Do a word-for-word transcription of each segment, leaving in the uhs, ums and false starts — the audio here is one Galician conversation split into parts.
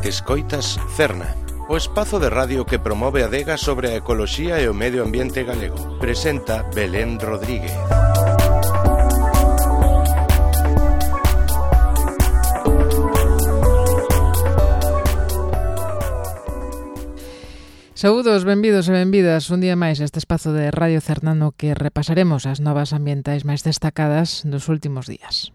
Escoitas Cerna, o espazo de radio que promove a adega sobre a ecoloxía e o medio ambiente galego. Presenta Belén Rodríguez. Saúdos, benvidos e benvidas un día máis a este espazo de Radio Cerna no que repasaremos as novas ambientais máis destacadas dos últimos días.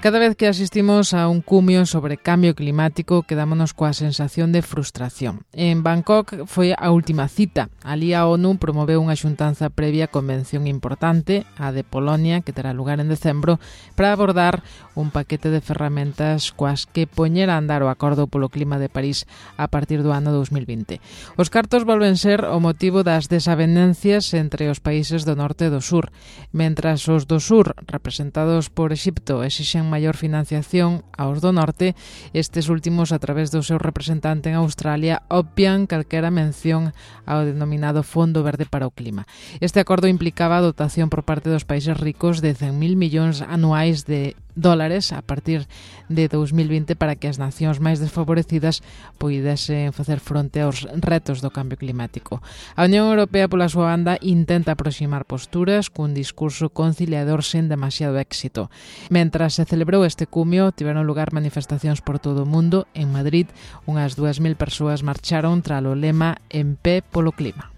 Cada vez que asistimos a un cumio sobre cambio climático quedámonos coa sensación de frustración. En Bangkok foi a última cita. Alí a ONU promoveu unha xuntanza previa convención importante, a de Polonia, que terá lugar en decembro, para abordar un paquete de ferramentas coas que poñer a andar o Acordo polo Clima de París a partir do ano dos mil vinte. Os cartos volven ser o motivo das desavenencias entre os países do norte e do sur. Mentras os do sur, representados por Exipto, exixen maior financiación aos do norte, estes últimos, a través do seu representante en Australia, obvian calquera mención ao denominado Fondo Verde para o Clima. Este acordo implicaba a dotación por parte dos países ricos de cen mil millóns anuais de dólares a partir de dos mil vinte para que as nacións máis desfavorecidas poidesen facer fronte aos retos do cambio climático. A Unión Europea, pola súa banda, intenta aproximar posturas cun discurso conciliador sen demasiado éxito. Mentras se celebrou este cumio, tiveron lugar manifestacións por todo o mundo. En Madrid, unhas dúas mil persoas marcharon tras o lema En pé polo clima.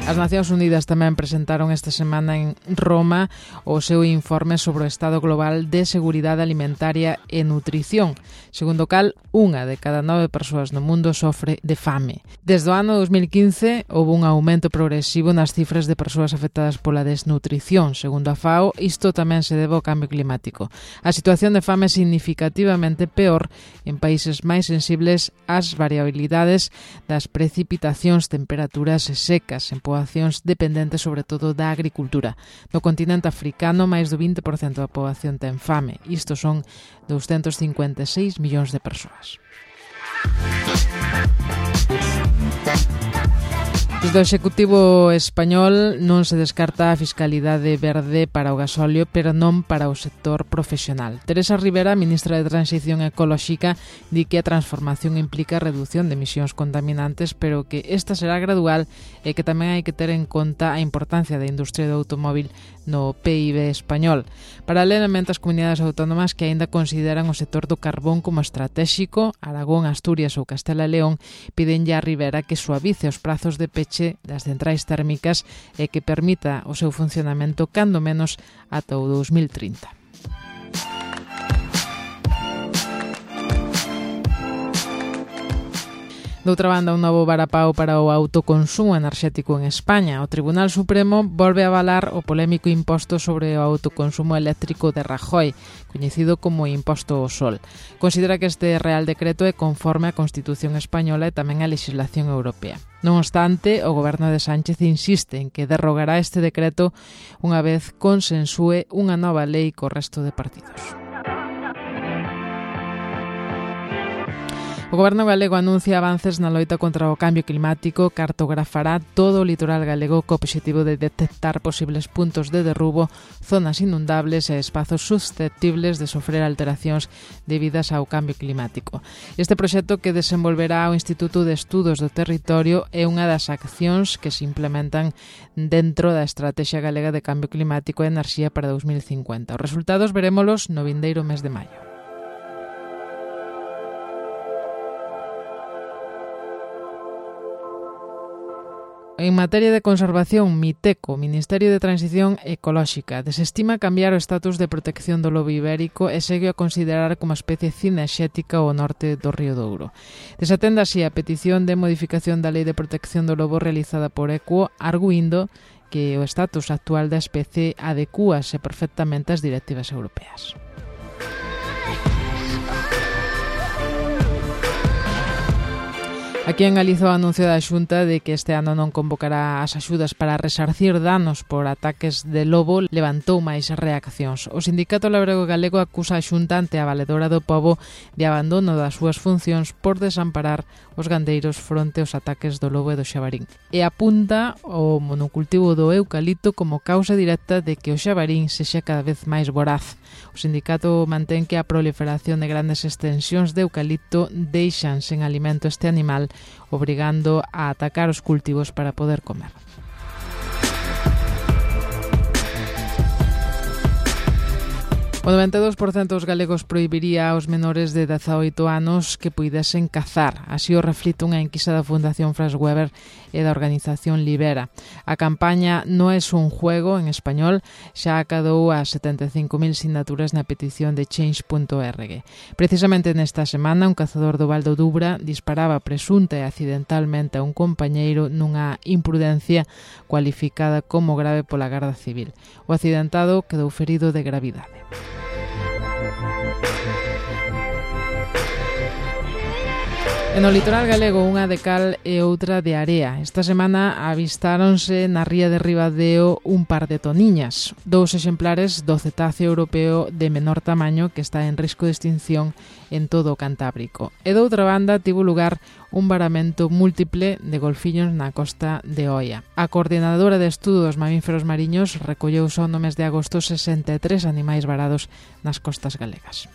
As Nacións Unidas tamén presentaron esta semana en Roma o seu informe sobre o estado global de seguridade alimentaria e nutrición, segundo o cal unha de cada nove persoas no mundo sofre de fame. Desde o ano dos mil quince houve un aumento progresivo nas cifras de persoas afectadas pola desnutrición. Segundo a FAO, isto tamén se debe ao cambio climático. A situación de fame é significativamente peor en países máis sensibles ás variabilidades das precipitacións, temperaturas secas, en poboacións dependentes sobre todo da agricultura. No continente africano, máis do vinte por cento da poboación ten fame. Isto son doscientos cincuenta e seis millóns de persoas. Desde o Executivo español non se descarta a fiscalidade verde para o gasóleo, pero non para o sector profesional. Teresa Rivera, ministra de Transición Ecolóxica, di que a transformación implica reducción de emisións contaminantes, pero que esta será gradual e que tamén hai que ter en conta a importancia da industria do automóbil no P I B español. Paralelamente, as comunidades autónomas que aínda consideran o sector do carbón como estratéxico, Aragón, Asturias ou Castela e León, pídenlle a Rivera que suavice os prazos de peche das centrais térmicas e que permita o seu funcionamento cando menos ata o dos mil trinta. Doutra banda, un novo varapao para o autoconsumo enerxético en España. O Tribunal Supremo volve a avalar o polémico imposto sobre o autoconsumo eléctrico de Rajoy, coñecido como imposto ao sol. Considera que este Real Decreto é conforme á Constitución española e tamén á legislación europea. Non obstante, o goberno de Sánchez insiste en que derrogará este decreto unha vez consensúe unha nova lei co resto de partidos. O Goberno galego anuncia avances na loita contra o cambio climático, cartografará todo o litoral galego co obxectivo de detectar posibles puntos de derrubo, zonas inundables e espazos susceptibles de sofrer alteracións debidas ao cambio climático. Este proxecto, que desenvolverá o Instituto de Estudos do Territorio, é unha das accións que se implementan dentro da Estrategia Galega de Cambio Climático e Enerxía para dos mil cincuenta. Os resultados verémolos no vindeiro mes de maio. En materia de conservación, MITECO, Ministerio de Transición Ecolóxica, desestima cambiar o estatus de protección do lobo ibérico e segue a considerar como especie cinexética o norte do Río Douro. Desatende así a petición de modificación da Lei de Protección do Lobo realizada por ECUO, arguindo que o estatus actual da especie adecúase perfectamente ás directivas europeas. Aquí en Galiza o anuncio da Xunta de que este ano non convocará as axudas para resarcir danos por ataques de lobo levantou máis reaccións. O Sindicato Labrego Galego acusa a Xunta ante a Valedora do Pobo de abandono das súas funcións por desamparar os gandeiros fronte aos ataques do lobo e do xabarín. E apunta o monocultivo do eucalipto como causa directa de que o xabarín sexa cada vez máis voraz. O sindicato mantén que a proliferación de grandes extensións de eucalipto deixan sen alimento este animal, obrigando a atacar os cultivos para poder comer. O noventa e dous por cento dos galegos prohibiría aos menores de dezaoito anos que puidesen cazar. Así o reflite unha enquisa da Fundación Franz Weber e da organización Libera. A campaña No es un juego, en español, xa acadou as setenta e cinco mil sinaturas na petición de change punto org. Precisamente nesta semana, un cazador do Val do Dubra disparaba presunta e accidentalmente a un compañeiro nunha imprudencia cualificada como grave pola Garda Civil. O accidentado quedou ferido de gravidade. E no litoral galego, unha de cal e outra de area. Esta semana avistáronse na ría de Ribadeo un par de toniñas, dous exemplares do cetáceo europeo de menor tamaño que está en risco de extinción en todo o Cantábrico. E doutra banda tivo lugar un varamento múltiple de golfiños na costa de Oia. A coordinadora de estudo dos mamíferos mariños recolleu só no mes de agosto sesenta e tres animais varados nas costas galegas.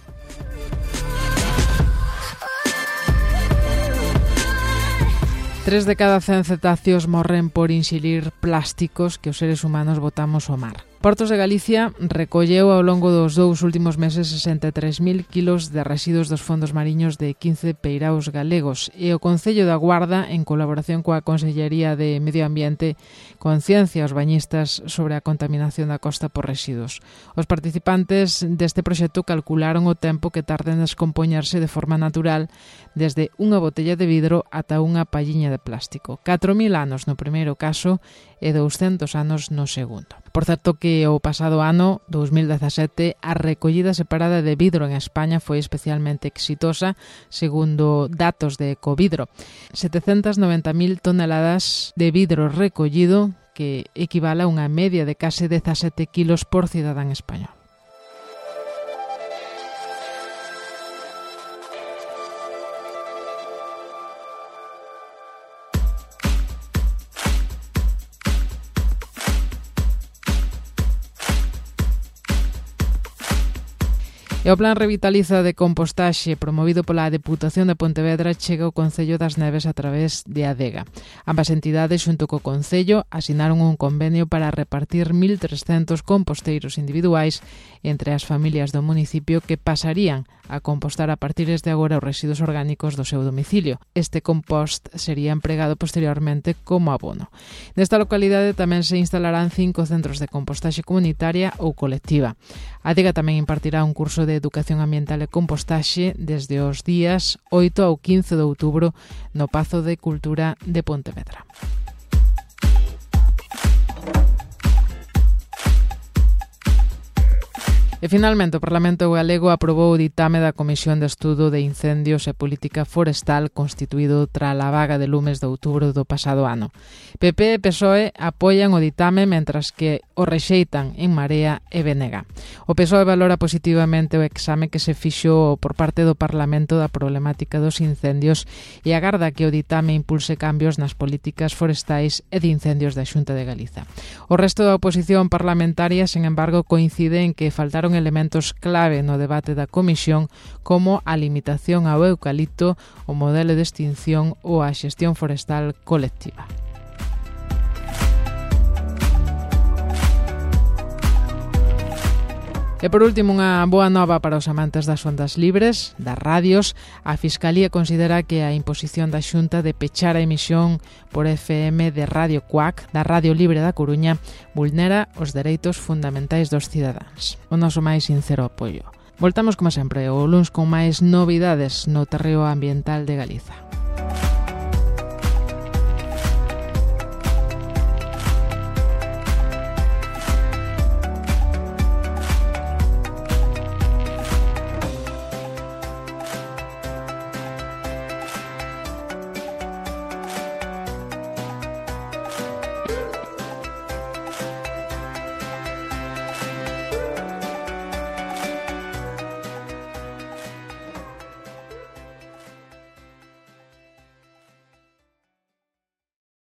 Tres de cada cen cetáceos morren por inxilir plásticos que os seres humanos botamos ao mar. Portos de Galicia recolleu ao longo dos dous últimos meses sesenta e tres mil kilos de residuos dos fondos mariños de quince peiraos galegos e o Concello da Guarda, en colaboración coa Consellería de Medio Ambiente, conciencia aos bañistas sobre a contaminación da costa por residuos. Os participantes deste proxecto calcularon o tempo que tarda en descompoñerse de forma natural desde unha botella de vidro ata unha palliña de plástico. catro mil anos no primeiro caso e douscentos anos no segundo. Por certo que o pasado ano, dous mil dezasete, a recollida separada de vidro en España foi especialmente exitosa, segundo datos de Ecovidro. setecentas noventa mil toneladas de vidro recollido, que equivale a unha media de case dezasete kilos por cidadán español. E o Plan Revitaliza de Compostaxe promovido pola Deputación de Pontevedra chega ao Concello das Neves a través de Adega. Ambas entidades, xunto co Concello, asinaron un convenio para repartir mil trescentos composteiros individuais entre as familias do municipio que pasarían a compostar a partir de agora os residuos orgánicos do seu domicilio. Este compost sería empregado posteriormente como abono. Nesta localidade tamén se instalarán cinco centros de compostaxe comunitaria ou colectiva. A Adega tamén impartirá un curso de Educación Ambiental e Compostaxe desde os días oito ao quince de outubro no Pazo de Cultura de Pontevedra. E finalmente o Parlamento Galego aprobou o ditame da Comisión de Estudo de Incendios e Política Forestal constituído tras a vaga de lumes de outubro do pasado ano. P P e P S O E apoian o ditame mentras que o rexeitan En Marea e B N G. O P S O E valora positivamente o exame que se fixo por parte do Parlamento da problemática dos incendios e agarda que o ditame impulse cambios nas políticas forestais e de incendios da Xunta de Galiza. O resto da oposición parlamentaria, sen embargo, coincide en que faltaron elementos clave no debate da Comisión como a limitación ao eucalipto, o modelo de extinción ou a xestión forestal colectiva. E por último, unha boa nova para os amantes das ondas libres, das radios. A Fiscalía considera que a imposición da Xunta de pechar a emisión por F M de Radio Cuac, da Radio Libre da Coruña, vulnera os dereitos fundamentais dos cidadáns. O noso máis sincero apoio. Voltamos, como sempre, o luns con máis novidades no terreo ambiental de Galiza.